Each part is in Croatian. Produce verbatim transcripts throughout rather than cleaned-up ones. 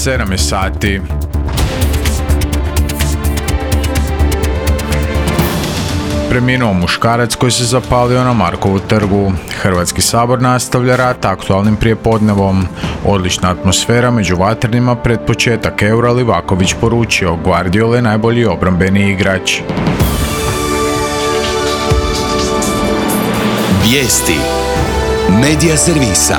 sedam je sati. Preminuo muškarac koji se zapalio na Markovu trgu. Hrvatski sabor nastavlja rat aktualnim prijepodnevom. Odlična atmosfera među vatrenima pred početak Eura, Livaković poručio, Guardiola je najbolji obrambeni igrač. Vijesti Medija servisa.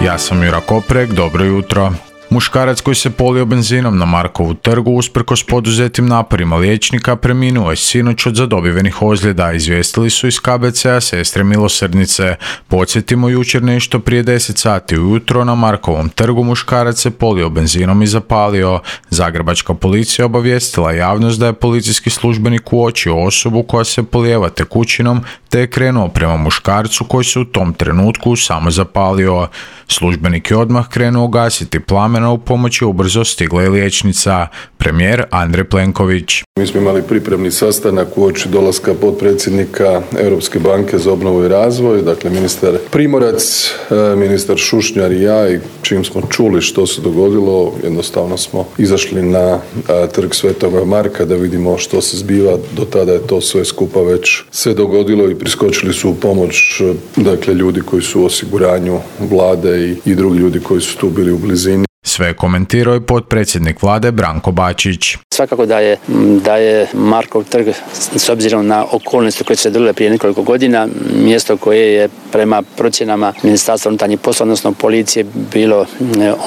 Ja sam Jura Koprek, dobro jutro. Muškarac koji se polio benzinom na Markovu trgu usprkos poduzetim naporima liječnika preminuo je sinoć od zadobivenih ozljeda, izvijestili su iz K B C-a Sestre milosrdnice. Podsjetimo, jučer nešto prije deset sati ujutro na Markovom trgu muškarac se polio benzinom i zapalio. Zagrebačka policija obavijestila javnost da je policijski službenik uočio osobu koja se polijeva tekućinom te je krenuo prema muškarcu koji se u tom trenutku samo zapalio. Službenik je odmah krenuo gasiti plamena, u pomoć je ubrzo stigla i liječnica. Premijer Andrej Plenković. Mi smo imali pripremni sastanak uoči dolaska potpredsjednika Europske banke za obnovu i razvoj, dakle ministar Primorac, ministar Šušnjar i ja, i čim smo čuli što se dogodilo, jednostavno smo izašli na trg Svetoga Marka da vidimo što se zbiva. Do tada je to sve skupa već se dogodilo i priskočili su u pomoć, dakle ljudi koji su u osiguranju vlade i, i drugi ljudi koji su tu bili u blizini. Sve komentirao je potpredsjednik vlade Branko Bačić. Svakako da je, da je Markov trg, s obzirom na okolnosti koje su se dogodile prije nekoliko godina, mjesto koje je prema procjenama Ministarstva unutarnjih poslova, odnosno policije, bilo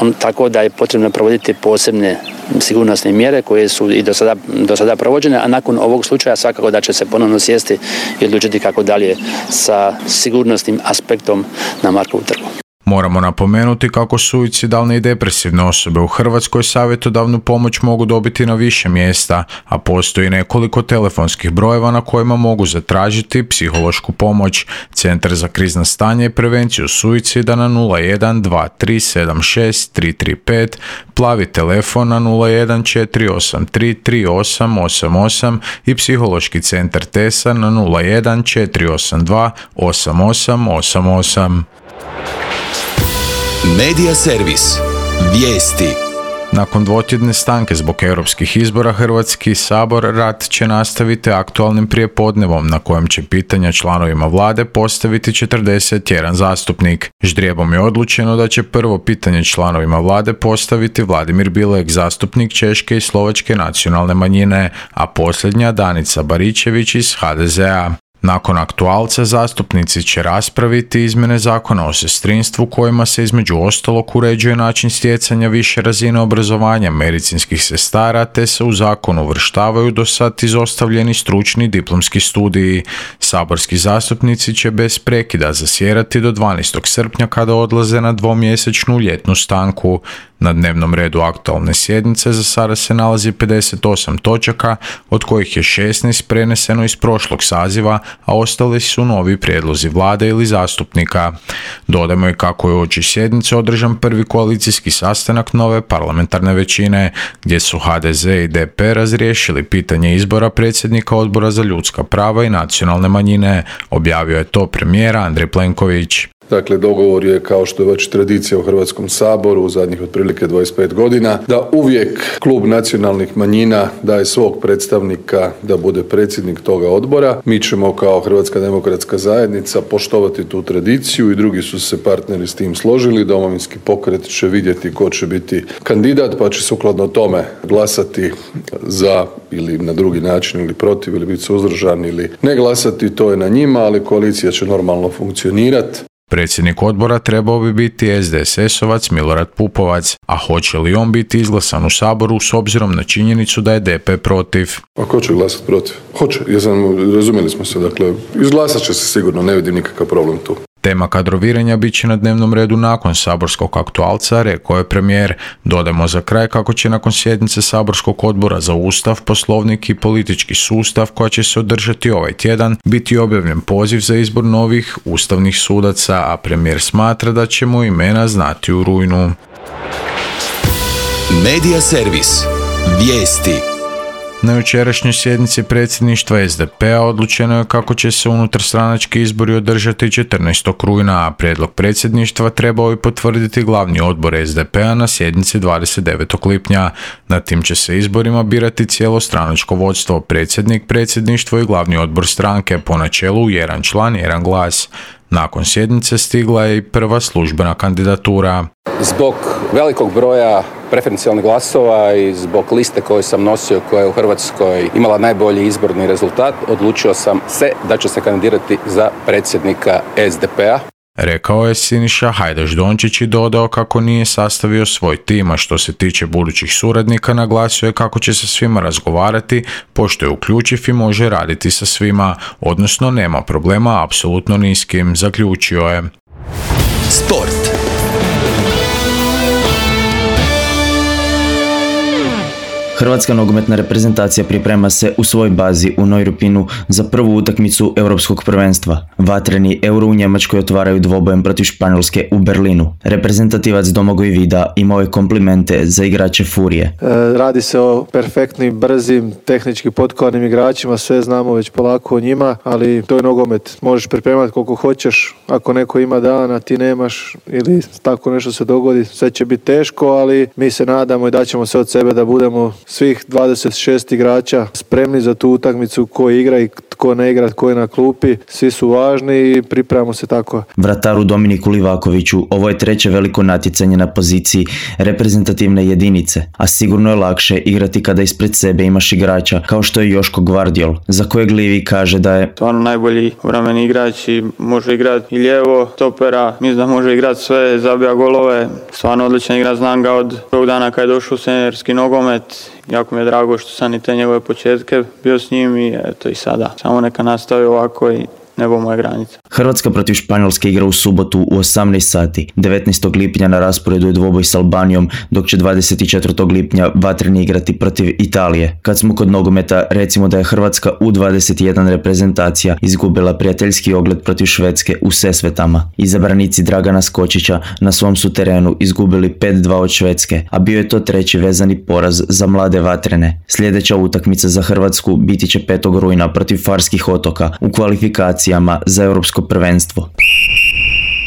on, tako da je potrebno provoditi posebne sigurnosne mjere koje su i do sada, do sada provođene, a nakon ovog slučaja svakako da će se ponovno sjesti i odlučiti kako dalje sa sigurnosnim aspektom na Markovu trgu. Moramo napomenuti kako suicidalne i depresivne osobe u Hrvatskoj savjetodavnu pomoć mogu dobiti na više mjesta, a postoji nekoliko telefonskih brojeva na kojima mogu zatražiti psihološku pomoć. Centar za krizna stanja i prevenciju suicida na nula jedan dva tri sedam šest tri tri pet, plavi telefon na nula jedan četiri osam tri tri osam osam osam i psihološki centar Tesa na nula jedan četiri osam dva osam osam osam osam. Medija servis. Vijesti. Nakon dvotjedne stanke zbog europskih izbora, Hrvatski sabor rat će nastaviti aktualnim prijepodnevom na kojem će pitanja članovima vlade postaviti četrdeset jedan zastupnik. Ždrijebom je odlučeno da će prvo pitanje članovima vlade postaviti Vladimir Bilek, zastupnik Češke i Slovačke nacionalne manjine, a posljednja Danica Baričević iz H D Z-a. Nakon aktualca zastupnici će raspraviti izmjene zakona o sestrinstvu kojima se između ostalog uređuje način stjecanja više razine obrazovanja medicinskih sestara te se u zakonu uvrštavaju do sad izostavljeni stručni diplomski studiji. Saborski zastupnici će bez prekida zasjedati do dvanaestog srpnja kada odlaze na dvomjesečnu ljetnu stanku. Na dnevnom redu aktualne sjednice za sada se nalazi pedeset osam točaka, od kojih je šesnaest preneseno iz prošlog saziva, a ostali su novi prijedlozi vlade ili zastupnika. Dodajmo i kako je uoči sjednice održan prvi koalicijski sastanak nove parlamentarne većine, gdje su H D Z i D P razriješili pitanje izbora predsjednika Odbora za ljudska prava i nacionalne manjine, objavio je to premijer Andrej Plenković. Dakle, dogovor je, kao što je već tradicija u Hrvatskom saboru u zadnjih otprilike dvadeset pet godina, da uvijek klub nacionalnih manjina daje svog predstavnika da bude predsjednik toga odbora. Mi ćemo kao Hrvatska demokratska zajednica poštovati tu tradiciju i drugi su se partneri s tim složili. Domovinski pokret će vidjeti ko će biti kandidat, pa će sukladno tome glasati za ili na drugi način ili protiv ili biti suzdržan ili ne glasati. To je na njima, ali koalicija će normalno funkcionirati. Predsjednik odbora trebao bi biti S D S S-ovac Milorad Pupovac, a hoće li on biti izglasan u Saboru s obzirom na činjenicu da je D P protiv? A ko će glasati protiv? Hoće, jesam, razumjeli smo se, dakle, izglasat će se sigurno, ne vidim nikakav problem tu. Tema kadroviranja bit će na dnevnom redu nakon saborskog aktualca, rekao je premijer. Dodajmo za kraj kako će nakon sjednice saborskog odbora za Ustav, Poslovnik i politički sustav, koja će se održati ovaj tjedan, biti objavljen poziv za izbor novih ustavnih sudaca, a premijer smatra da ćemo imena znati u rujnu. Medija servis. Vijesti. Na jučerašnjoj sjednici predsjedništva es de pe-a odlučeno je kako će se unutarstranački izbori održati četrnaestog rujna, a prijedlog predsjedništva trebao bi potvrditi glavni odbor es de pe-a na sjednici dvadeset devetog lipnja. Na tim će se izborima birati cijelo stranačko vodstvo, predsjednik, predsjedništvo i glavni odbor stranke, po načelu jedan član, jedan glas. Nakon sjednice stigla je i prva službena kandidatura. Zbog velikog broja preferencijalnih glasova i zbog liste koju sam nosio, koja je u Hrvatskoj imala najbolji izborni rezultat, odlučio sam se da ću se kandidirati za predsjednika es de pe-a. Rekao je Siniša Hajdaš Dončić i dodao kako nije sastavio svoj tim, a što se tiče budućih suradnika naglasio je kako će sa svima razgovarati, pošto je uključiv i može raditi sa svima, odnosno nema problema apsolutno ni s kim, zaključio je. Sport. Hrvatska nogometna reprezentacija priprema se u svojoj bazi u Neurupinu za prvu utakmicu europskog prvenstva. Vatreni Euro u Njemačkoj otvaraju dvobojem protiv Španjolske u Berlinu. Reprezentativac Domagoj Vida imao je komplimente za igrače Furije. E, radi se o perfektnim, brzim, tehnički potkovanim igračima, sve znamo već polako o njima, ali to je nogomet. Možeš pripremati koliko hoćeš, ako neko ima dan, a ti nemaš ili tako nešto se dogodi, sve će biti teško, ali mi se nadamo i daćemo se od sebe da budemo svih dvadeset šest igrača spremni za tu utakmicu, ko igra i tko ne igra, tko je na klupi, svi su važni i pripremamo se tako. Vrataru Dominiku Livakoviću ovo je treće veliko natjecanje na poziciji reprezentativne jedinice, a sigurno je lakše igrati kada ispred sebe imaš igrača kao što je Joško Gvardiol, za kojeg Livi kaže da je stvarno najbolji obrambeni igrač i može igrati i lijevo, stopera, mislim da može igrati sve, zabija golove, stvarno odličan igrač, znam ga od prvog dana kad je došao u seniorski nogomet. Jako mi je drago što sam i te njegove početke bio s njim i eto i sada. Samo neka nastavi ovako i nebo moja granica. Hrvatska protiv Španjolske igra u subotu u osamnaest sati. devetnaestog lipnja na rasporedu je dvoboj s Albanijom, dok će dvadeset četvrtog lipnja vatreni igrati protiv Italije. Kad smo kod nogometa, recimo da je Hrvatska u dvadeset jedan reprezentacija izgubila prijateljski ogled protiv Švedske u Sesvetama. Izabranici Dragana Skočića na svom su terenu izgubili pet dva od Švedske, a bio je to treći vezani poraz za mlade vatrene. Sljedeća utakmica za Hrvatsku biti će petog rujna protiv Farskih otoka u kvalifikaciji za europsko prvenstvo.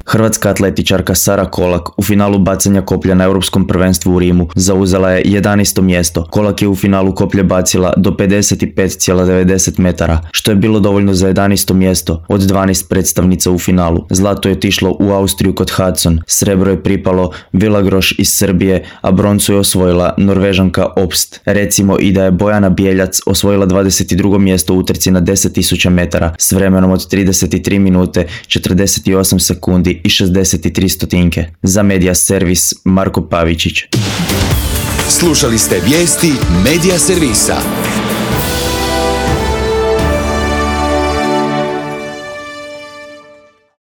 Hrvatska atletičarka Sara Kolak u finalu bacanja koplja na europskom prvenstvu u Rimu zauzela je jedanaesto mjesto. Kolak je u finalu koplje bacila do pedeset pet zarez devedeset metara, što je bilo dovoljno za jedanaesto mjesto od dvanaest predstavnica u finalu. Zlato je otišlo u Austriju kod Hudson, srebro je pripalo Villagroš iz Srbije, a broncu je osvojila Norvežanka Obst. Recimo i da je Bojana Bjeljac osvojila dvadeset drugo mjesto u utrci na deset tisuća metara s vremenom od trideset tri minute, četrdeset osam sekundi i šezdeset tri stotinke. Za Media Servis Marko Pavičić. Slušali ste vijesti Media Servisa.